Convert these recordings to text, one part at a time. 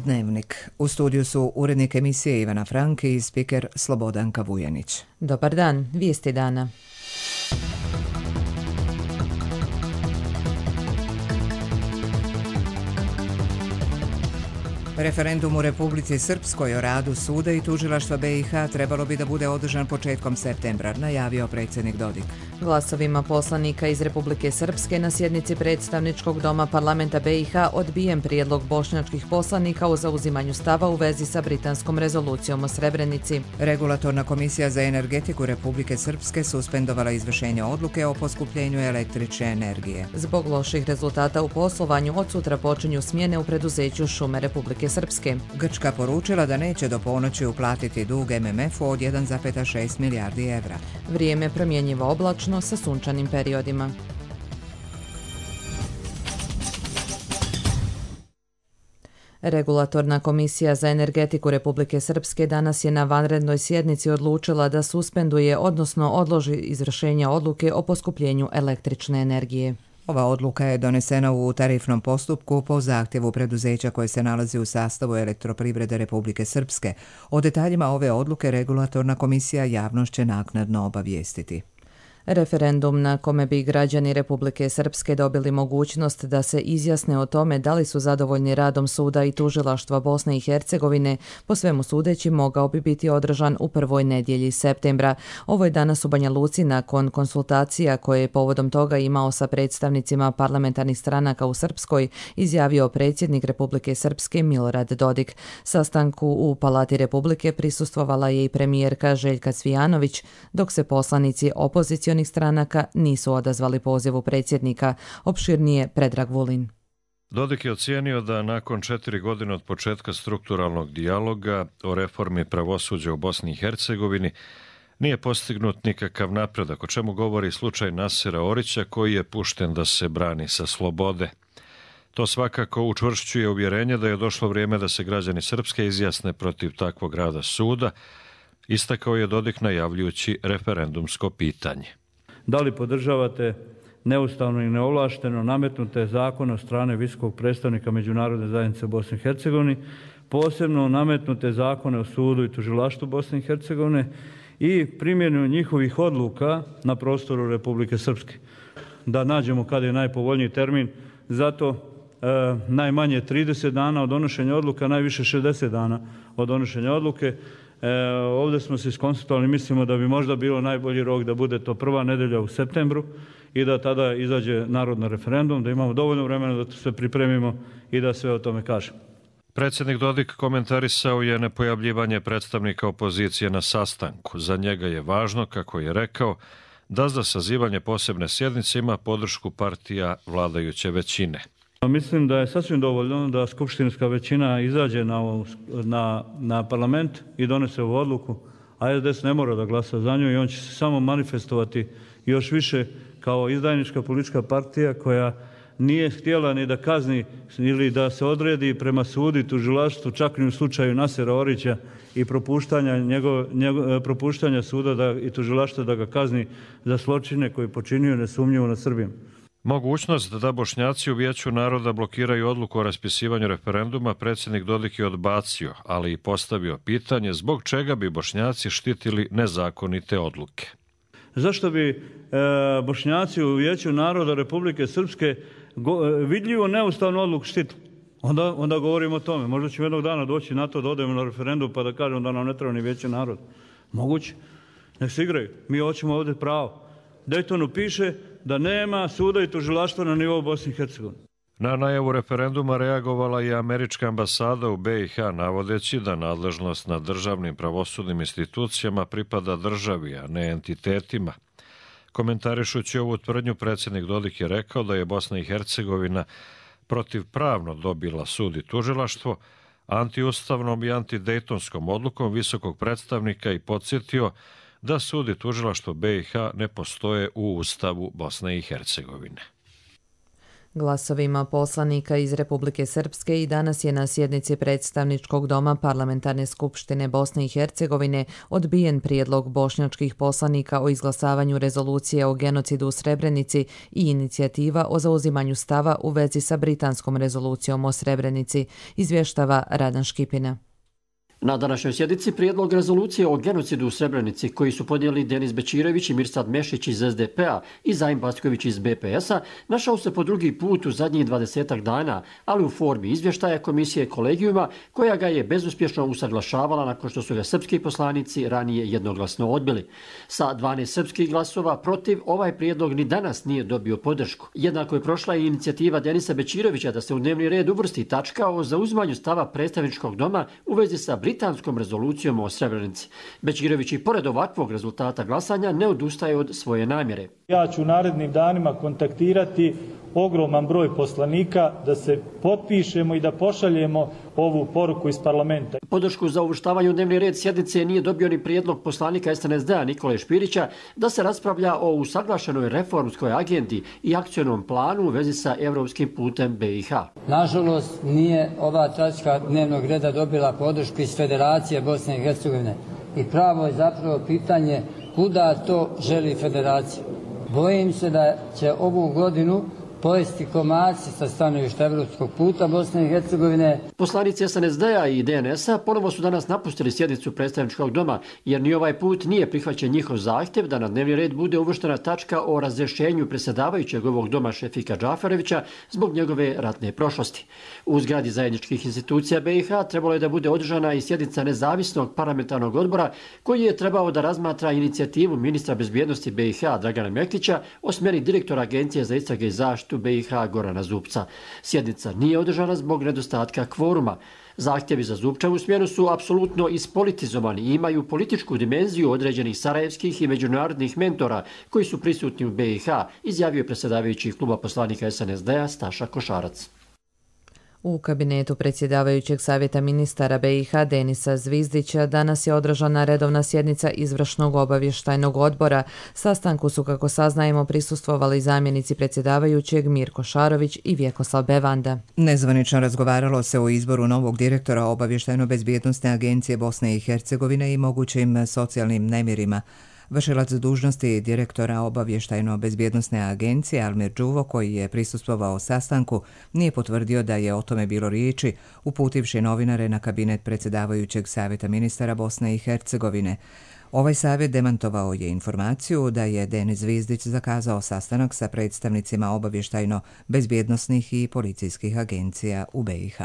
Dnevnik. U studiju su urednik emisije Ivana Franki i spiker Slobodanka Vujanić. Dobar dan, vijesti dana. Referendum u Republici Srpskoj o radu suda i tužilaštva BiH trebalo bi da bude održan početkom septembra, najavio predsjednik Dodik. Glasovima poslanika iz Republike Srpske na sjednici predstavničkog doma parlamenta BiH odbijen prijedlog bošnjačkih poslanika o zauzimanju stava u vezi sa britanskom rezolucijom o Srebrenici. Regulatorna komisija za energetiku Republike Srpske suspendovala izvršenje odluke o poskupljenju električne energije. Zbog loših rezultata u poslovanju od sutra počinju smjene u preduzeću Šume Republike Srpske. Grčka poručila da neće do ponoći uplatiti dug MMF-u od 1,6 milijardi evra. Vrijeme promjenjivo oblačno sa sunčanim periodima. Regulatorna komisija za energetiku Republike Srpske danas je na vanrednoj sjednici odlučila da suspenduje, odnosno odloži izvršenje odluke o poskupljenju električne energije. Ova odluka je donesena u tarifnom postupku po zahtjevu preduzeća koje se nalazi u sastavu Elektroprivrede Republike Srpske. O detaljima ove odluke regulatorna komisija javnost će naknadno obavijestiti. Referendum na kome bi građani Republike Srpske dobili mogućnost da se izjasne o tome da li su zadovoljni radom suda i tužilaštva Bosne i Hercegovine, po svemu sudeći mogao bi biti održan u prvoj nedjelji septembra. Ovo je danas u Banja Luci nakon konsultacija koje je povodom toga imao sa predstavnicima parlamentarnih stranaka u Srpskoj, izjavio predsjednik Republike Srpske Milorad Dodik. Sastanku u Palati Republike prisustvovala je i premijerka Željka Cvijanović, dok se poslanici opozicionih stranaka nisu odazvali pozivu predsjednika. Opširnije Predrag Vulin. Dodik je ocijenio da nakon 4 godine od početka strukturalnog dijaloga o reformi pravosuđa u Bosni i Hercegovini nije postignut nikakav napredak, o čemu govori slučaj Nasera Orića koji je pušten da se brani sa slobode. To svakako učvršćuje uvjerenje da je došlo vrijeme da se građani Srpske izjasne protiv takvog rada suda, istakao je Dodik najavljujući referendumsko pitanje. Da li podržavate neustavno i neovlašteno nametnute zakone od strane visokog predstavnika Međunarodne zajednice u Bosni i Hercegovini, posebno nametnute zakone o sudu i tužilaštvu Bosne i Hercegovine i primjenu njihovih odluka na prostoru Republike Srpske? Da nađemo kada je najpovoljniji termin, zato najmanje 30 dana od donošenja odluka, najviše 60 dana od donošenja odluke. Ovdje smo se iskonsultovali, mislimo da bi možda bilo najbolji rok da bude to prva nedjelja u septembru i da tada izađe narod na referendum, da imamo dovoljno vremena da se pripremimo i da sve o tome kažemo. Predsjednik Dodik komentarisao je nepojavljivanje predstavnika opozicije na sastanku. Za njega je važno, kako je rekao, da za sazivanje posebne sjednice ima podršku partija vladajuće većine. Mislim da je sasvim dovoljno da skupštinska većina izađe na parlament i donese ovu odluku, a SDS ne mora da glasa za nju i on će se samo manifestovati još više kao izdajnička politička partija koja nije htjela ni da kazni ili da se odredi prema sudu i tužilaštvu, čak ni u slučaju Nasera Orića i propuštanja suda i tužilaštva da ga kazni za zločine koje počinio nesumnjivo nad Srbijom. Mogućnost da Bošnjaci u Vijeću naroda blokiraju odluku o raspisivanju referenduma predsjednik Dodik je odbacio, ali i postavio pitanje zbog čega bi Bošnjaci štitili nezakonite odluke. Zašto bi Bošnjaci u Vijeću naroda Republike Srpske vidljivo neustavnu odluku štitili? Onda govorimo o tome. Možda ćemo jednog dana doći na to da odemo na referendum pa da kažemo da nam ne treba ni Vijeće naroda. Moguće. Nek se igraju. Mi hoćemo ovdje pravo. Daytonu piše da nema suda i tužilaštva na nivou Bosne i Hercegovine. Na najavu referenduma reagovala je američka ambasada u BiH, navodeći da nadležnost nad državnim pravosudnim institucijama pripada državi, a ne entitetima. Komentarišući ovu tvrdnju, predsjednik Dodik je rekao da je Bosna i Hercegovina protivpravno dobila sud i tužilaštvo, antiustavnom i antidejtonskom odlukom visokog predstavnika i podsjetio da sud i tužilaštvo BiH ne postoje u Ustavu Bosne i Hercegovine. Glasovima poslanika iz Republike Srpske i danas je na sjednici predstavničkog doma Parlamentarne skupštine Bosne i Hercegovine odbijen prijedlog bošnjačkih poslanika o izglasavanju rezolucije o genocidu u Srebrenici i inicijativa o zauzimanju stava u vezi sa britanskom rezolucijom o Srebrenici, izvještava Radan Škipina. Na današnjoj sjednici prijedlog rezolucije o genocidu u Srebrenici koji su podnijeli Denis Bećirević i Mirsad Mešić iz SDP-a i Zajim Backović iz BPS-a našao se po drugi put u zadnjih 20 dana, ali u formi izvještaja komisije kolegijuma koja ga je bezuspješno usaglašavala nakon što su ga srpski poslanici ranije jednoglasno odbili. Sa 12 srpskih glasova protiv ovaj prijedlog ni danas nije dobio podršku. Jednako je prošla i inicijativa Denisa Bećirevića da se u dnevni red uvrsti tačka o zauzimanju stava predstavničkog doma u vezi sa britanskom rezolucijom o Srebrenici. Bećirević i pored ovakvog rezultata glasanja ne odustaje od svoje namjere. Ja ću u narednim danima kontaktirati ogroman broj poslanika da se potpišemo i da pošaljemo ovu poruku iz parlamenta. Podršku za uvrštavanje u dnevni red sjednice nije dobio ni prijedlog poslanika SNSD-a Nikole Špirića da se raspravlja o usaglašenoj reformskoj agendi i akcionom planu u vezi sa evropskim putem BiH. Nažalost, nije ova tačka dnevnog reda dobila podršku iz Federacije Bosne i Hercegovine. I pravo je zapravo pitanje kuda to želi Federacija. Bojim se da će ovu godinu pojesti komarci sa stanovišta evropskog puta Bosne i Hercegovine. Poslanici SNSD-a i DNS-a ponovo su danas napustili sjednicu predstavničkog doma, jer ni ovaj put nije prihvaćen njihov zahtjev da na dnevni red bude uvrštena tačka o razrješenju predsjedavajućeg ovog doma Šefika Džaferevića zbog njegove ratne prošlosti. U zgradi zajedničkih institucija BiH trebalo je da bude održana i sjednica nezavisnog parlamentarnog odbora koji je trebao da razmatra inicijativu ministra bezbjednosti BiH Dragana Mektića o smjeni direktora Agencije za istrage i zaštitu BiH Gorana Zupca. Sjednica nije održana zbog nedostatka kvoruma. Zahtjevi za Zupčevu smjenu su apsolutno ispolitizovani i imaju političku dimenziju određenih sarajevskih i međunarodnih mentora koji su prisutni u BiH, izjavio je predsjedavajući kluba poslanika SNSD-a Staša Košarac. U kabinetu predsjedavajućeg savjeta ministara BiH Denisa Zvizdića danas je održana redovna sjednica izvršnog obavještajnog odbora. Sastanku su, kako saznajemo, prisustvovali zamjenici predsjedavajućeg Mirko Šarović i Vjekoslav Bevanda. Nezvanično razgovaralo se o izboru novog direktora Obavještajno-bezbjednosne agencije Bosne i Hercegovine i mogućim socijalnim nemirima. Vršilac dužnosti direktora Obavještajno-bezbjednosne agencije Almir Đuvo, koji je prisustvovao sastanku, nije potvrdio da je o tome bilo riječi, uputivši novinare na kabinet predsjedavajućeg savjeta ministara Bosne i Hercegovine. Ovaj savjet demantovao je informaciju da je Denis Zvizdić zakazao sastanak sa predstavnicima obavještajno-bezbjednosnih i policijskih agencija u BiH.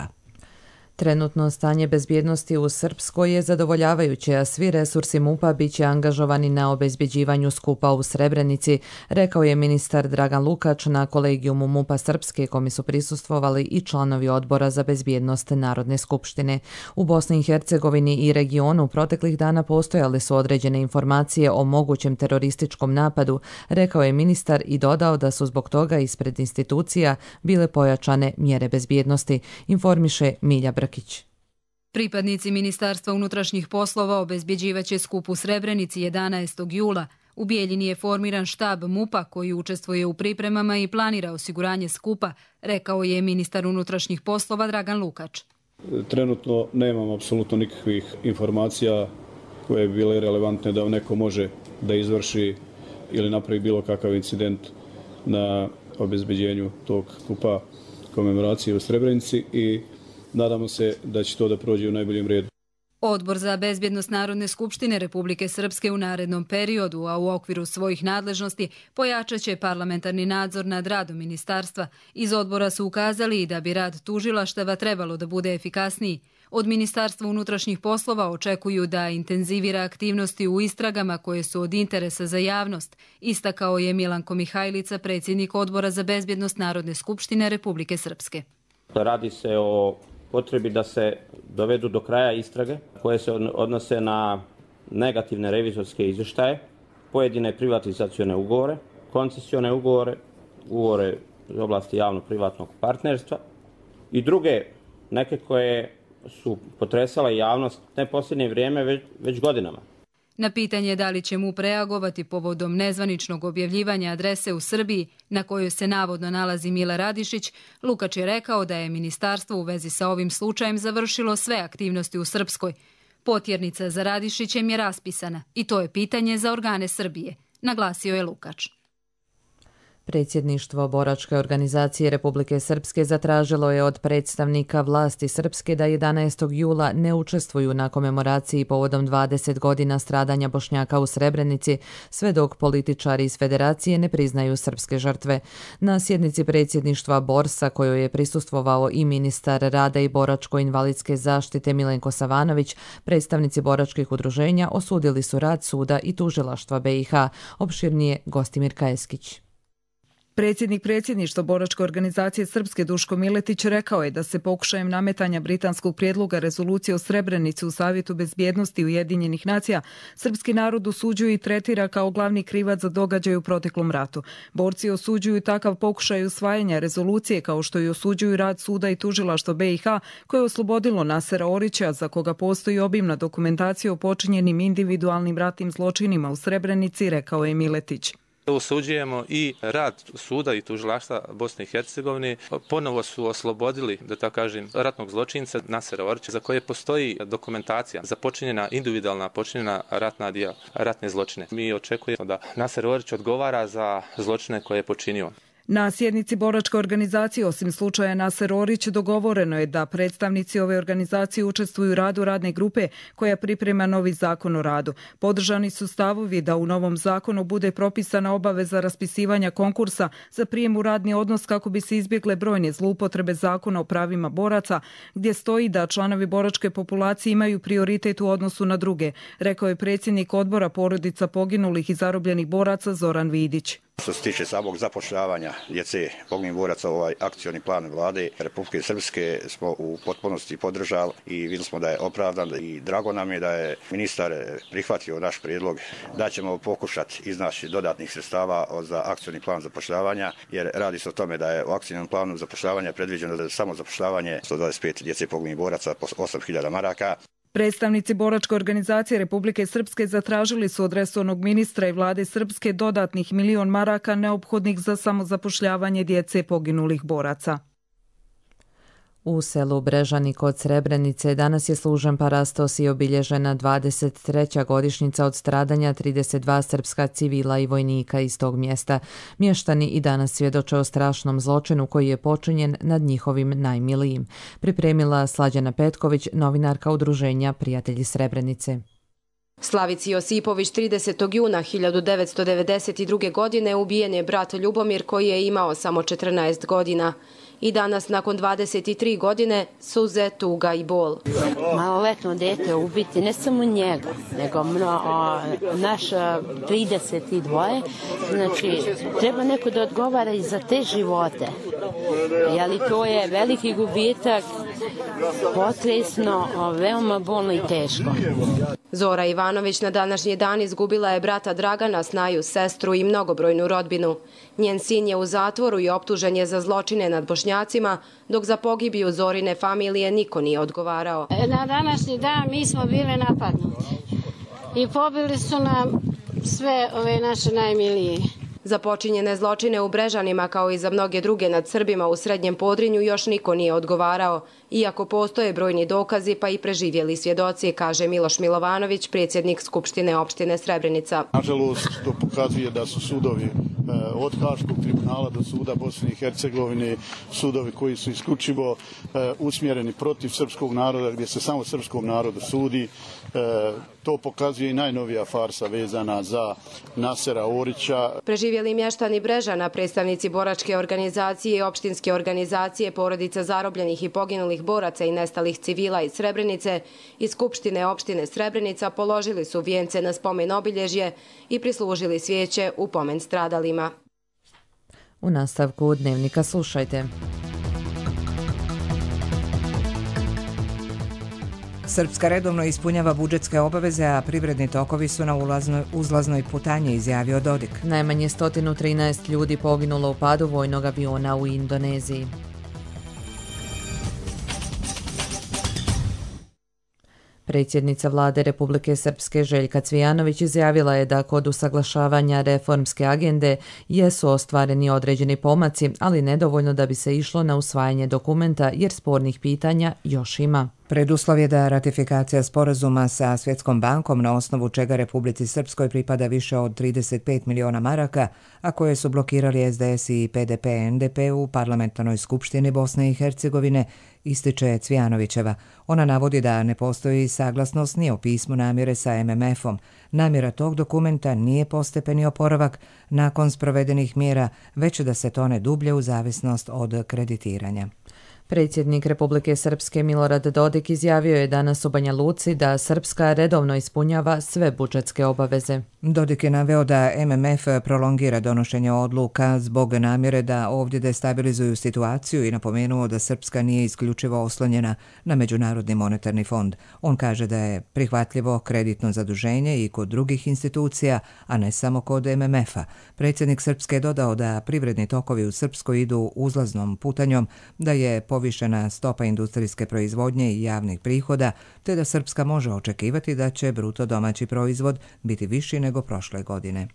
Trenutno stanje bezbjednosti u Srpskoj je zadovoljavajuće, a svi resursi MUP-a bit će angažovani na obezbjeđivanju skupa u Srebrenici, rekao je ministar Dragan Lukač na kolegijumu MUP-a Srpske, kome su prisustvovali i članovi odbora za bezbjednost Narodne skupštine. U Bosni i Hercegovini i regionu proteklih dana postojale su određene informacije o mogućem terorističkom napadu, rekao je ministar i dodao da su zbog toga ispred institucija bile pojačane mjere bezbjednosti, informiše Milja Brkić. Pripadnici Ministarstva unutrašnjih poslova obezbjeđivaće skup u Srebrenici 11. jula. U Bijeljini je formiran štab MUP-a koji učestvuje u pripremama i planira osiguranje skupa, rekao je ministar unutrašnjih poslova Dragan Lukač. Trenutno nemam apsolutno nikakvih informacija koje bi bile relevantne da neko može da izvrši ili napravi bilo kakav incident na obezbeđenju tog skupa komemoracije u Srebrenici i nadamo se da će to da prođe u najboljem redu. Odbor za bezbjednost Narodne skupštine Republike Srpske u narednom periodu, a u okviru svojih nadležnosti, pojačat će parlamentarni nadzor nad radom ministarstva. Iz odbora su ukazali i da bi rad tužilaštava trebalo da bude efikasniji. Od Ministarstva unutrašnjih poslova očekuju da intenzivira aktivnosti u istragama koje su od interesa za javnost, istakao je Milanko Mihajlica, predsjednik Odbora za bezbjednost Narodne skupštine Republike Srpske. Radi se o potrebi da se dovedu do kraja istrage koje se odnose na negativne revizorske izvještaje, pojedine privatizacione ugovore, koncesione ugovore, ugovore iz oblasti javno-privatnog partnerstva i druge neke koje su potresale javnost ne posljednje vrijeme, već godinama. Na pitanje da li će MUP reagovati povodom nezvaničnog objavljivanja adrese u Srbiji na kojoj se navodno nalazi Mile Radišić, Lukač je rekao da je ministarstvo u vezi sa ovim slučajem završilo sve aktivnosti u Srpskoj. Potjernica za Radišićem je raspisana i to je pitanje za organe Srbije, naglasio je Lukač. Predsjedništvo Boračke organizacije Republike Srpske zatražilo je od predstavnika vlasti Srpske da 11. jula ne učestvuju na komemoraciji povodom 20 godina stradanja Bošnjaka u Srebrenici, sve dok političari iz Federacije ne priznaju srpske žrtve. Na sjednici predsjedništva Borsa, kojoj je prisustvovao i ministar rada i boračko-invalidske zaštite Milenko Savanović, predstavnici boračkih udruženja osudili su rad suda i tužilaštva BiH. Opširnije Gostimir Kajeskić. Predsjednik predsjedništva Boračke organizacije Srpske Duško Miletić rekao je da se pokušajem nametanja britanskog prijedloga rezolucije o Srebrenici u Savjetu bezbjednosti Ujedinjenih nacija srpski narod osuđuje i tretira kao glavni krivac za događaj u proteklom ratu. Borci osuđuju takav pokušaj usvajanja rezolucije kao što i osuđuju rad suda i tužilaštva BiH koje je oslobodilo Nasera Orića za koga postoji obimna dokumentacija o počinjenim individualnim ratnim zločinima u Srebrenici, rekao je Miletić. Osuđujemo i rad suda i tužilaštva Bosne i Hercegovine. Ponovo su oslobodili, da tako kažem, ratnog zločinca Nasera Orića za koje postoji dokumentacija za individualna počinjena ratne zločine. Mi očekujemo da Naser Orić odgovara za zločine koje je počinio. Na sjednici Boračke organizacije, osim slučaja Naser Orić, dogovoreno je da predstavnici ove organizacije učestvuju u radu radne grupe koja priprema novi zakon o radu. Podržani su stavovi da u novom zakonu bude propisana obaveza raspisivanja konkursa za prijem u radni odnos kako bi se izbjegle brojne zloupotrebe zakona o pravima boraca, gdje stoji da članovi boračke populacije imaju prioritet u odnosu na druge, rekao je predsjednik odbora porodica poginulih i zarobljenih boraca Zoran Vidić. Što se tiče samog zapošljavanja djece poginulih boraca, ovaj akcioni plan vlade Republike Srpske smo u potpunosti podržali i vidjeli smo da je opravdan i drago nam je da je ministar prihvatio naš prijedlog da ćemo pokušati iznaći dodatnih sredstava za akcioni plan zapošljavanja, jer radi se o tome da je u akcijnom planu zapošljavanja predviđeno da samo zapošljavanje 125 djece poginulih boraca po 8.000 maraka. Predstavnici Boračke organizacije Republike Srpske zatražili su od resornog ministra i vlade Srpske dodatnih 1 milion maraka neophodnih za samozapošljavanje djece poginulih boraca. U selu Brežani kod Srebrenice danas je služen parastos i obilježena 23. godišnjica od stradanja 32 srpska civila i vojnika iz tog mjesta. Mještani i danas svjedoče o strašnom zločinu koji je počinjen nad njihovim najmilijim. Pripremila Slađana Petković, novinarka udruženja Prijatelji Srebrenice. Slavici Josipović 30. juna 1992. godine ubijen je brat Ljubomir koji je imao samo 14 godina. I danas, nakon 23 godine, suze, tuga i bol. Maloletno dete ubiti ne samo njega, nego naš 32. Znači, treba neko da odgovara i za te živote. Jeli to je veliki gubitak, potresno, veoma bolno i teško. Zora Ivanović na današnji dan izgubila je brata Dragana, snaju, sestru i mnogobrojnu rodbinu. Njen sin je u zatvoru i optužen je za zločine nad Bošnjacima, dok za pogibiju Zorine familije niko nije odgovarao. Na današnji dan mi smo bili napadnuti i pobili su nam sve ove naše najmilije. Za počinjene zločine u Brežanima, kao i za mnoge druge nad Srbima u Srednjem Podrinju, još niko nije odgovarao, iako postoje brojni dokazi pa i preživjeli svjedoci, kaže Miloš Milovanović, predsjednik Skupštine opštine Srebrenica. Nažalost, to pokazuje da su sudovi od Haškog tribunala do suda Bosne i Hercegovine, sudovi koji su isključivo usmjereni protiv srpskog naroda, gdje se samo srpskom narodu sudi. To pokazuje i najnovija farsa vezana za Nasera Orića. Preživjeli mještani Brežana, predstavnici Boračke organizacije i opštinske organizacije porodica zarobljenih i poginulih boraca i nestalih civila iz Srebrenice i Skupštine opštine Srebrenica položili su vijence na spomen obilježje i prislužili svijeće u pomen stradalima. U nastavku Dnevnika slušajte. Srpska redovno ispunjava budžetske obaveze, a privredni tokovi su na uzlaznoj putanji, izjavio Dodik. Najmanje 113 ljudi poginulo u padu vojnog aviona u Indoneziji. Predsjednica vlade Republike Srpske Željka Cvijanović izjavila je da kod usaglašavanja reformske agende jesu ostvareni određeni pomaci, ali nedovoljno da bi se išlo na usvajanje dokumenta jer spornih pitanja još ima. Preduslov je da ratifikacija sporazuma sa Svjetskom bankom, na osnovu čega Republici Srpskoj pripada više od 35 miliona maraka, a koje su blokirali SDS i PDP-NDP u parlamentarnoj skupštini Bosne i Hercegovine, ističe Cvijanovićeva. Ona navodi da ne postoji saglasnost ni o pismu namjere sa MMF-om. Namjera tog dokumenta nije postepeni oporavak nakon sprovedenih mjera, već da se tone dublje u zavisnost od kreditiranja. Predsjednik Republike Srpske Milorad Dodik izjavio je danas u Banja Luci da Srpska redovno ispunjava sve budžetske obaveze. Dodik je naveo da MMF prolongira donošenje odluka zbog namjere da ovdje destabilizuju situaciju i napomenuo da Srpska nije isključivo oslonjena na Međunarodni monetarni fond. On kaže da je prihvatljivo kreditno zaduženje i kod drugih institucija, a ne samo kod MMF-a. Predsjednik Srpske je dodao da privredni tokovi u Srpskoj idu uzlaznom putanjom, da je povišena stopa industrijske proizvodnje i javnih prihoda, te da Srpska može očekivati da će bruto domaći proizvod biti viši nego prošle godine.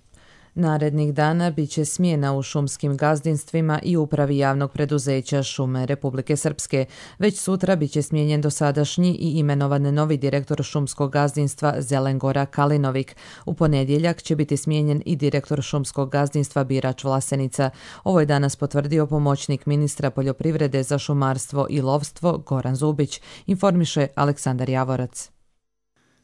Narednih dana bit će smjena u šumskim gazdinstvima i upravi javnog preduzeća Šume Republike Srpske. Već sutra bit će smijenjen dosadašnji i imenovan novi direktor šumskog gazdinstva Zelengora Kalinovik. U ponedjeljak će biti smijenjen i direktor šumskog gazdinstva Birač Vlasenica. Ovo je danas potvrdio pomoćnik ministra poljoprivrede za šumarstvo i lovstvo Goran Zubić, informiše Aleksandar Javorac.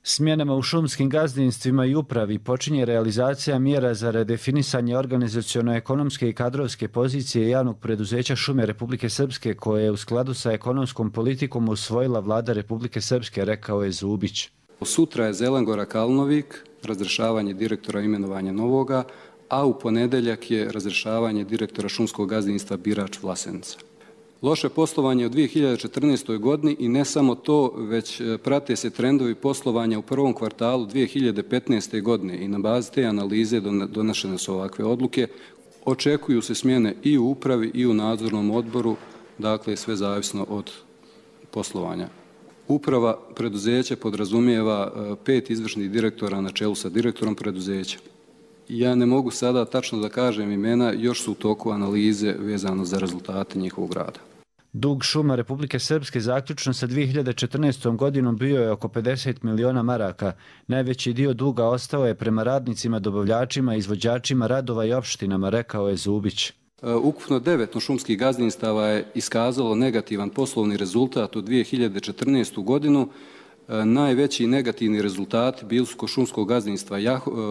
Smjenama u šumskim gazdinstvima i upravi počinje realizacija mjera za redefinisanje organizaciono-ekonomske i kadrovske pozicije javnog preduzeća Šume Republike Srpske, koje je u skladu sa ekonomskom politikom usvojila vlada Republike Srpske, rekao je Zubić. Sutra je Zelengora Kalinovik, razrješavanje direktora i imenovanje novoga, a u ponedeljak je razrješavanje direktora šumskog gazdinstva Birač Vlasenica. Loše poslovanje u 2014. godini i ne samo to, već prate se trendovi poslovanja u prvom kvartalu 2015. godine i na bazi te analize donošene su ovakve odluke. Očekuju se smjene i u upravi i u nadzornom odboru, dakle sve zavisno od poslovanja. Uprava preduzeća podrazumijeva 5 izvršnih direktora na čelu sa direktorom preduzeća. Ja ne mogu sada tačno da kažem imena, još su u toku analize vezano za rezultate njihovog rada. Dug Šuma Republike Srpske zaključno sa 2014. godinom bio je oko 50 miliona maraka. Najveći dio duga ostao je prema radnicima, dobavljačima, izvođačima radova i opštinama, rekao je Zubić. Ukupno 9 šumskih gazdinstava je iskazalo negativan poslovni rezultat u 2014. godinu. Najveći negativni rezultati bili su kod šumskog gazdinstva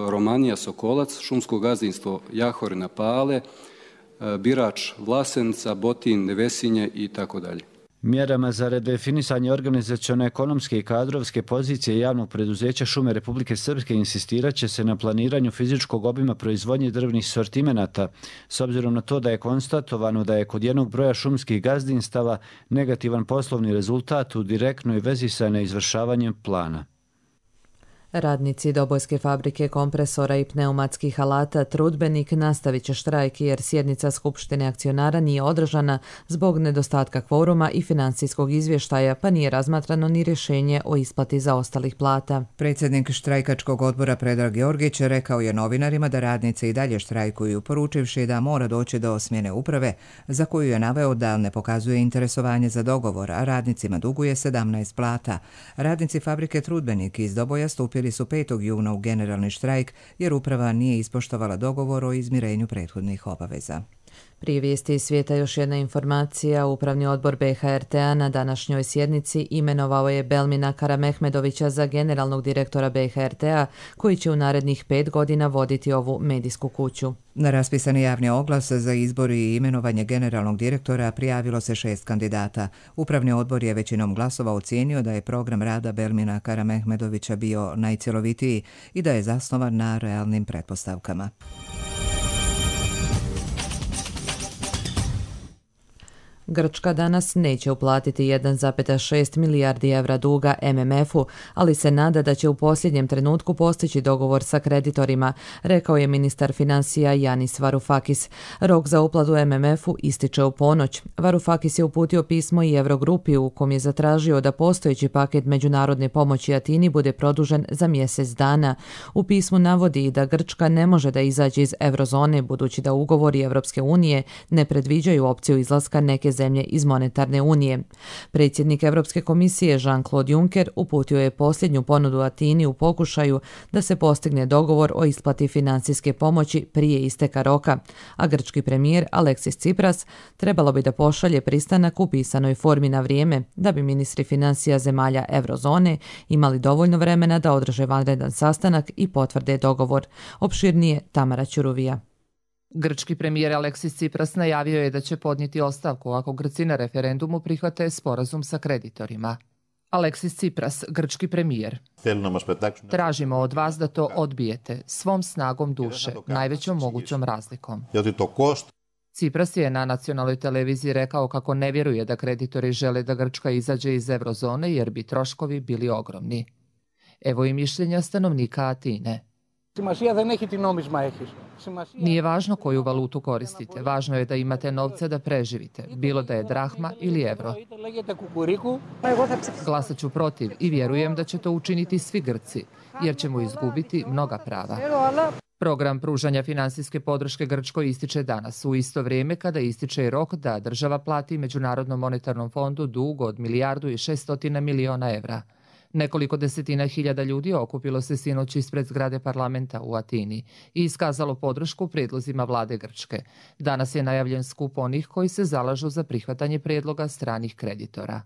Romanija Sokolac, šumskog gazdinstvo Jahorina Pale, Birač Vlasenica, Botin, Nevesinje i tako dalje. Mjerama za redefinisanje organizaciono-ekonomske i kadrovske pozicije javnog preduzeća Šume Republike Srpske insistirat će se na planiranju fizičkog obima proizvodnje drvnih sortimenata, s obzirom na to da je konstatovano da je kod jednog broja šumskih gazdinstava negativan poslovni rezultat u direktnoj vezi sa neizvršavanjem plana. Radnici Dobojske fabrike kompresora i pneumatskih alata Trudbenik nastavit će štrajk jer sjednica Skupštine akcionara nije održana zbog nedostatka kvoruma i financijskog izvještaja, pa nije razmatrano ni rješenje o isplati zaostalih plata. Predsjednik štrajkačkog odbora Predrag Georgić rekao je novinarima da radnice i dalje štrajkuju, poručivši da mora doći do smjene uprave, za koju je naveo da ne pokazuje interesovanje za dogovor, a radnicima duguje 17 plata. Radnici fabrike Trudbenik iz Doboja stupili su 5. juna u generalni štrajk jer uprava nije ispoštovala dogovor o izmirenju prethodnih obaveza. Prije vijesti iz svijeta još jedna informacija. Upravni odbor BHRT-a na današnjoj sjednici imenovao je Belmina Karamehmedovića za generalnog direktora BHRT-a, koji će u narednih 5 godina voditi ovu medijsku kuću. Na raspisani javni oglas za izbor i imenovanje generalnog direktora prijavilo se 6 kandidata. Upravni odbor je većinom glasova ocijenio da je program rada Belmina Karamehmedovića bio najcjelovitiji i da je zasnovan na realnim pretpostavkama. Grčka danas neće uplatiti 1,6 milijardi evra duga MMF-u, ali se nada da će u posljednjem trenutku postići dogovor sa kreditorima, rekao je ministar financija Yanis Varoufakis. Rok za uplatu MMF-u ističe u ponoć. Varoufakis je uputio pismo i Eurogrupi u kom je zatražio da postojeći paket međunarodne pomoći Atini bude produžen za mjesec dana. U pismu navodi da Grčka ne može da izađe iz eurozone budući da ugovori Evropske unije ne predviđaju opciju izlaska neke zemlje iz monetarne unije. Predsjednik Europske komisije Jean-Claude Juncker uputio je posljednju ponudu Atini u pokušaju da se postigne dogovor o isplati financijske pomoći prije isteka roka, a grčki premijer Alexis Tsipras trebalo bi da pošalje pristanak u pisanoj formi na vrijeme da bi ministri financija zemalja eurozone imali dovoljno vremena da održe vanredan sastanak i potvrde dogovor. Opširnije Tamara Ćuruvija. Grčki premijer Alexis Tsipras najavio je da će podnijeti ostavku ako Grci na referendumu prihvate sporazum sa kreditorima. Alexis Tsipras, grčki premijer. Tražimo od vas da to odbijete svom snagom duše, najvećom mogućom razlikom. Tsipras je na nacionalnoj televiziji rekao kako ne vjeruje da kreditori žele da Grčka izađe iz eurozone jer bi troškovi bili ogromni. Evo i mišljenja stanovnika Atine. Nije važno koju valutu koristite, važno je da imate novce da preživite, bilo da je drahma ili evro. Glasat ću protiv i vjerujem da će to učiniti svi Grci, jer ćemo izgubiti mnoga prava. Program pružanja finansijske podrške Grčkoj ističe danas, u isto vrijeme kada ističe rok da država plati Međunarodnom monetarnom fondu dug od 1,6 milijardi evra. Nekoliko desetina hiljada ljudi okupilo se sinoć ispred zgrade parlamenta u Atini i iskazalo podršku prijedlozima vlade Grčke. Danas je najavljen skup onih koji se zalažu za prihvatanje prijedloga stranih kreditora.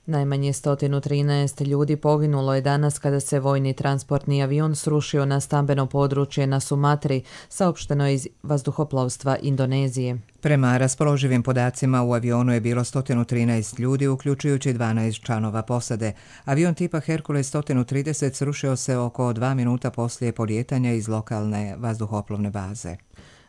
Najmanje 113 ljudi poginulo je danas kada se vojni transportni avion srušio na stambeno područje na Sumatri, saopšteno iz vazduhoplovstva Indonezije. Prema raspoloživim podacima u avionu je bilo 113 ljudi, uključujući 12 članova posade. Avion tipa Hercules 130 srušio se oko 2 minuta poslije polijetanja iz lokalne vazduhoplovne baze.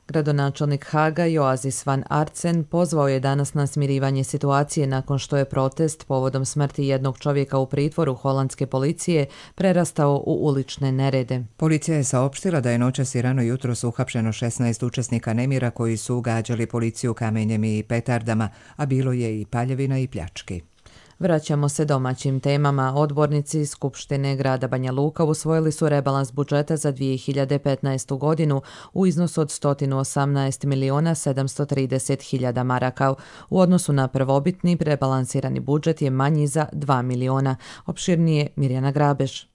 Gradonačelnik Haga Joazis van Artsen pozvao je danas na smirivanje situacije nakon što je protest povodom smrti jednog čovjeka u pritvoru holandske policije prerastao u ulične nerede. Policija je saopštila da je noćas i rano jutros uhapšeno 16 učesnika nemira koji su gađali policiju kamenjem i petardama, a bilo je i paljevina i pljački. Vraćamo se domaćim temama. Odbornici Skupštine grada Banja Luka usvojili su rebalans budžeta za 2015. godinu u iznosu od 118.730.000 maraka. U odnosu na prvobitni rebalansirani budžet je manji za 2 miliona. Opširnije Mirjana Grabeš.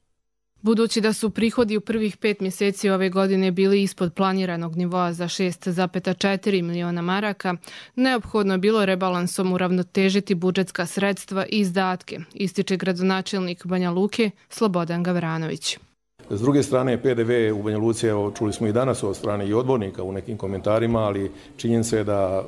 Budući da su prihodi u prvih 5 mjeseci ove godine bili ispod planiranog nivoa za 6,4 miliona maraka, neophodno je bilo rebalansom uravnotežiti budžetska sredstva i izdatke, ističe gradonačelnik Banja Luke Slobodan Gavranović. S druge strane, PDV u Banja Luci, čuli smo i danas od strane i odbornika u nekim komentarima, ali činjenica je da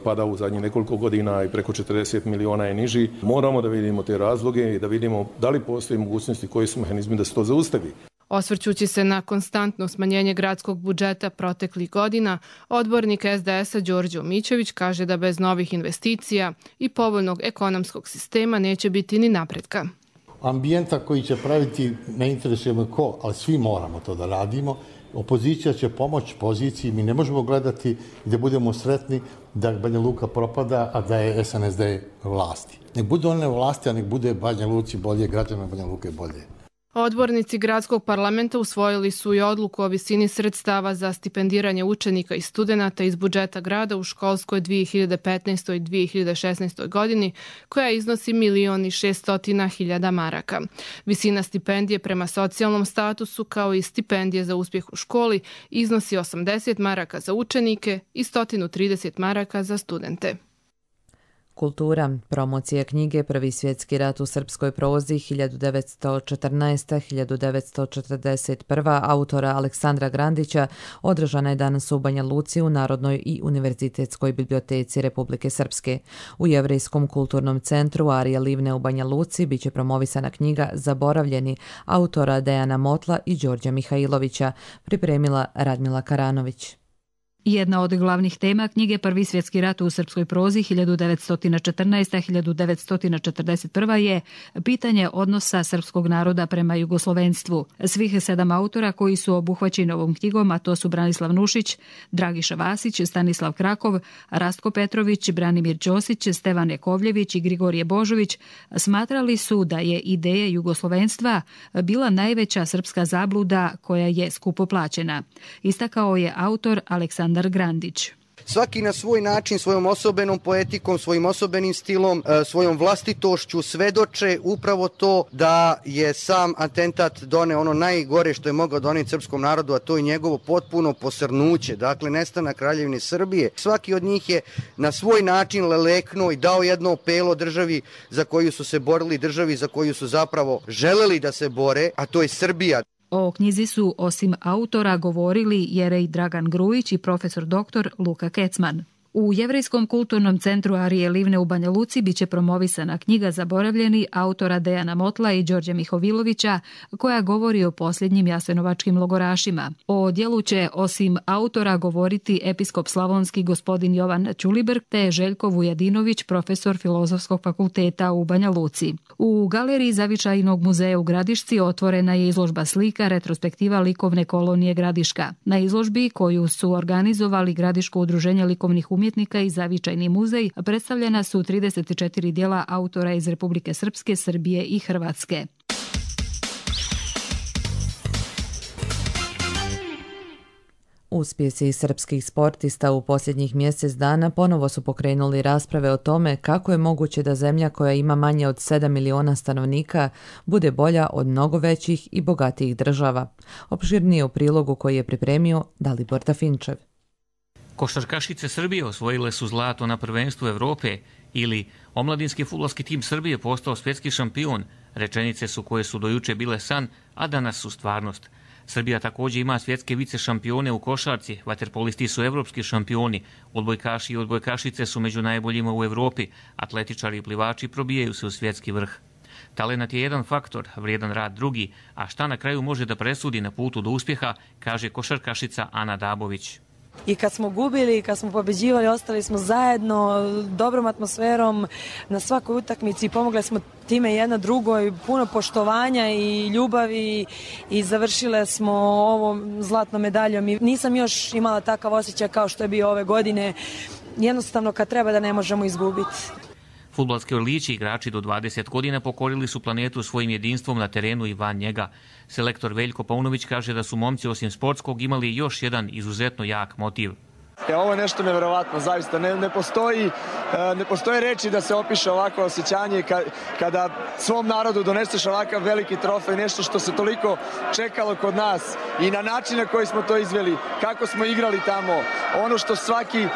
pada u zadnjih nekoliko godina i preko 40 miliona je niži. Moramo da vidimo te razloge i da vidimo da li postoji mogućnosti, koji su mehanizmi da se to zaustavi. Osvrćući se na konstantno smanjenje gradskog budžeta proteklih godina, odbornik SDS-a Đorđe Mićević kaže da bez novih investicija i povoljnog ekonomskog sistema neće biti ni napretka. Ambijenta koji će praviti, ne interesuje me ko, ali svi moramo to da radimo. Opozicija će pomoći poziciji, mi ne možemo gledati i da budemo sretni da Banja Luka propada, a da je SNSD vlasti. Nek bude one vlasti, a nek bude Banja Luci bolje, građana Banja Luke bolje. Odbornici gradskog parlamenta usvojili su i odluku o visini sredstava za stipendiranje učenika i studenata iz budžeta grada u školskoj 2015. i 2016. godini, koja iznosi 1.600.000 maraka. Visina stipendije prema socijalnom statusu, kao i stipendije za uspjeh u školi, iznosi 80 maraka za učenike i 130 maraka za studente. Kultura, promocija knjige Prvi svjetski rat u srpskoj prozi 1914-1941 autora Aleksandra Grandića održana je danas u Banja Luci u Narodnoj i univerzitetskoj biblioteci Republike Srpske. U Jevrejskom kulturnom centru Arija Livne u Banja Luci biće promovisana knjiga Zaboravljeni autora Dejana Motla i Đorđa Mihajlovića, pripremila Radmila Karanović. Jedna od glavnih tema knjige Prvi svjetski rat u srpskoj prozi 1914-1941 je pitanje odnosa srpskog naroda prema jugoslovenstvu. Svih 7 autora koji su obuhvaćeni ovom knjigom, a to su Branislav Nušić, Dragiša Vasić, Stanislav Krakov, Rastko Petrović, Branimir Ćosić, Stevan Jakovljević i Grigorije Božović, smatrali su da je ideja jugoslovenstva bila najveća srpska zabluda koja je skupo plaćena. Istakao je autor Aleksandar Grandić. Svaki na svoj način, svojom osobenom poetikom, svojim osobenim stilom, svojom vlastitošću svedoče upravo to da je sam atentat doneo ono najgore što je mogao doneti srpskom narodu, a to je njegovo potpuno posrnuće, dakle nestanak Kraljevine Srbije. Svaki od njih je na svoj način leleknuo i dao jedno opelo državi za koju su se borili, državi za koju su zapravo želeli da se bore, a to je Srbija. O knjizi su osim autora govorili Jerej Dragan Grujić i profesor dr. Luka Kecman. U Jevrejskom kulturnom centru Arije Livne u Banja Luci biće promovisana knjiga Zaboravljeni autora Dejana Motla i Đorđe Mihovilovića koja govori o posljednjim jasenovačkim logorašima. O djelu će osim autora govoriti episkop slavonski gospodin Jovan Ćulibrk te Željko Vujadinović, profesor Filozofskog fakulteta u Banja Luci. U galeriji Zavičajnog muzeja u Gradišci otvorena je izložba slika retrospektiva likovne kolonije Gradiška. Na izložbi koju su organizovali Gradiško udruženje likovnih umjetnika i Zavičajni muzej predstavljena su 34 djela autora iz Republike Srpske, Srbije i Hrvatske. Uspjesi srpskih sportista u posljednjih mjesec dana ponovo su pokrenuli rasprave o tome kako je moguće da zemlja koja ima manje od 7 miliona stanovnika bude bolja od mnogo većih i bogatijih država. Opširnije u prilogu koji je pripremio Dalibor Tafinčev. Košarkašice Srbije osvojile su zlato na prvenstvu Evrope ili omladinski fudbalski tim Srbije postao svjetski šampion. Rečenice su koje su dojuče bile san, a danas su stvarnost. Srbija također ima svjetske vice šampione u košarci, vaterpolisti su evropski šampioni, odbojkaši i odbojkašice su među najboljima u Evropi, atletičari i plivači probijaju se u svjetski vrh. Talenat je jedan faktor, vrijedan rad drugi, a šta na kraju može da presudi na putu do uspjeha, kaže košarkašica Ana Dabović. I kad smo gubili i kad smo pobeđivali, ostali smo zajedno, dobrom atmosferom na svakoj utakmici, pomogli smo time jedna drugoj, puno poštovanja i ljubavi i završile smo ovom zlatnom medaljom. I nisam još imala takav osjećaj kao što je bio ove godine, jednostavno kad treba da ne možemo izgubiti. Fudbalski orlići, igrači do 20 godina, pokorili su planetu svojim jedinstvom na terenu i van njega. Selektor Veljko Paunović kaže da su momci osim sportskog imali još jedan izuzetno jak motiv. Ovo je nešto nevjerovatno, zaista. Ne postoje reči da se opiše ovako osjećanje kada svom narodu doneseš ovakav veliki trofej, nešto što se toliko čekalo kod nas i na način na koji smo to izveli, kako smo igrali tamo, ono što svaki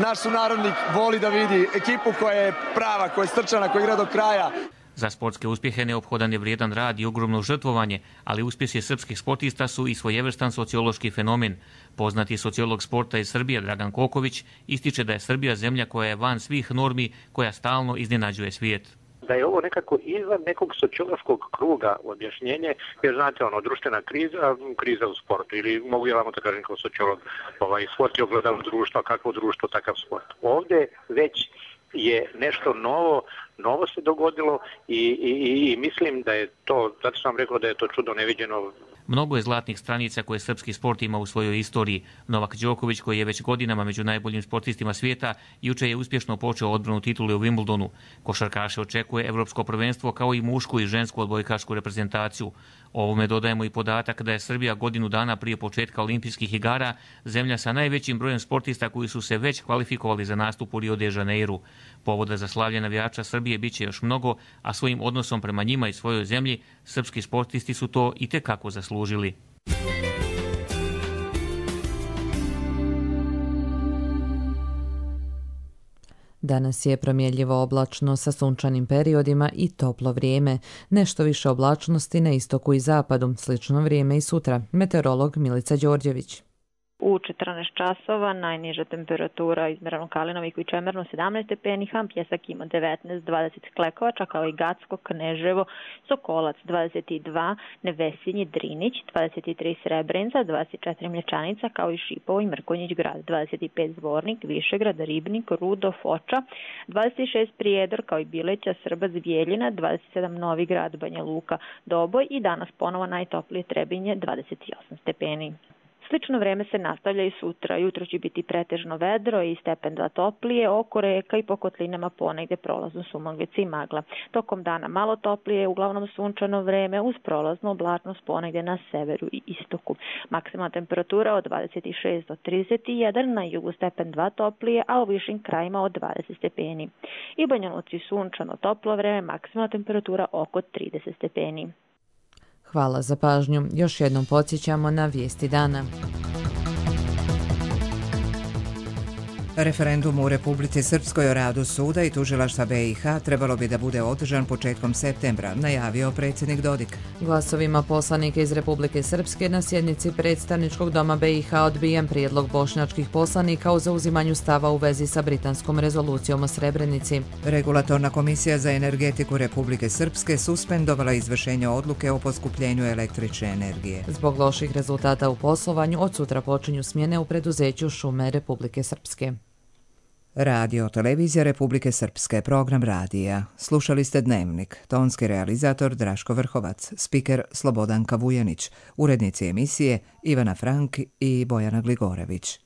naš sunarodnik voli da vidi, ekipu koja je prava, koja je strčana, koja igra do kraja. Za sportske uspjehe neophodan je vrijedan rad i ogromno žrtvovanje, ali uspjesi srpskih sportista su i svojevrstan sociološki fenomen. Poznati sociolog sporta iz Srbije Dragan Koković ističe da je Srbija zemlja koja je van svih normi, koja stalno iznenađuje svijet. Da je ovo nekako izvan nekog sociološkog kruga objašnjenje, jer znate, društvena kriza u sportu, ili mogu ja vam to kažem kao sociolog, sport je ogledalo društva, kakvo društvo, takav sport. Ovdje već je nešto novo se dogodilo i mislim da je to, zato sam rekao da je to čudo neviđeno. Mnogo je zlatnih stranica koje srpski sport ima u svojoj istoriji. Novak Đoković, koji je već godinama među najboljim sportistima svijeta, juče je uspješno počeo odbranu titule u Wimbledonu. Košarkaše očekuje evropsko prvenstvo kao i mušku i žensku odbojkašku reprezentaciju. Ovome dodajemo i podatak da je Srbija godinu dana prije početka olimpijskih igara zemlja sa najvećim brojem sportista koji su se već kvalifikovali za nastup u Rio de Janeiru. Povoda za slavlje navijača Srbije bit će još mnogo, a svojim odnosom prema njima i svojoj zemlji srpski sportisti su to i tekako zaslužili. Danas je promjenljivo oblačno sa sunčanim periodima i toplo vrijeme. Nešto više oblačnosti na istoku i zapadu, slično vrijeme i sutra. Meteorolog Milica Đorđević. U 14 časova najniža temperatura izmerena u Kalinoviku i Čemernu 17 stepeni, Ham Pjesak ima 19, 20 Klekovača, kao i Gacko, Kneževo, Sokolac 22, Nevesinji, Drinić 23, Srebrenica 24, Mlječanica, kao i Šipovo i Mrkonjić grad 25, Zvornik, Višegrad, Ribnik, Rudo, Foča 26, Prijedor, kao i Bileća, Srbac, Bijeljina 27, Novi grad, Banja Luka, Doboj i danas ponovo najtoplije Trebinje 28 stepeni. Slično vreme se nastavlja i sutra. Jutro će biti pretežno vedro i stepen 2 toplije, oko reka i po kotlinama ponegde prolazno sumaglice i magla. Tokom dana malo toplije, uglavnom sunčano vreme uz prolaznu oblačnost ponegde na severu i istoku. Maksimalna temperatura od 26 do 31, na jugu stepen 2 toplije, a u višim krajima od 20 stepeni. I Banja Luci sunčano toplo vreme, maksimalna temperatura oko 30 stepeni. Hvala za pažnju. Još jednom podsjećamo na vijesti dana. Referendum u Republici Srpskoj o radu suda i tužilaštva BiH trebalo bi da bude održan početkom septembra, najavio predsjednik Dodik. Glasovima poslanika iz Republike Srpske na sjednici predstavničkog doma BiH odbijen prijedlog bošnjačkih poslanika o zauzimanju stava u vezi sa britanskom rezolucijom o Srebrenici. Regulatorna komisija za energetiku Republike Srpske suspendovala izvršenje odluke o poskupljenju električne energije. Zbog loših rezultata u poslovanju, od sutra počinju smjene u preduzeću Šume Republike Srpske. Radio Televizija Republike Srpske, program radija. Slušali ste Dnevnik, tonski realizator Draško Vrhovac, spiker Slobodanka Vujanić, urednici emisije Ivana Frank i Bojana Gligorević.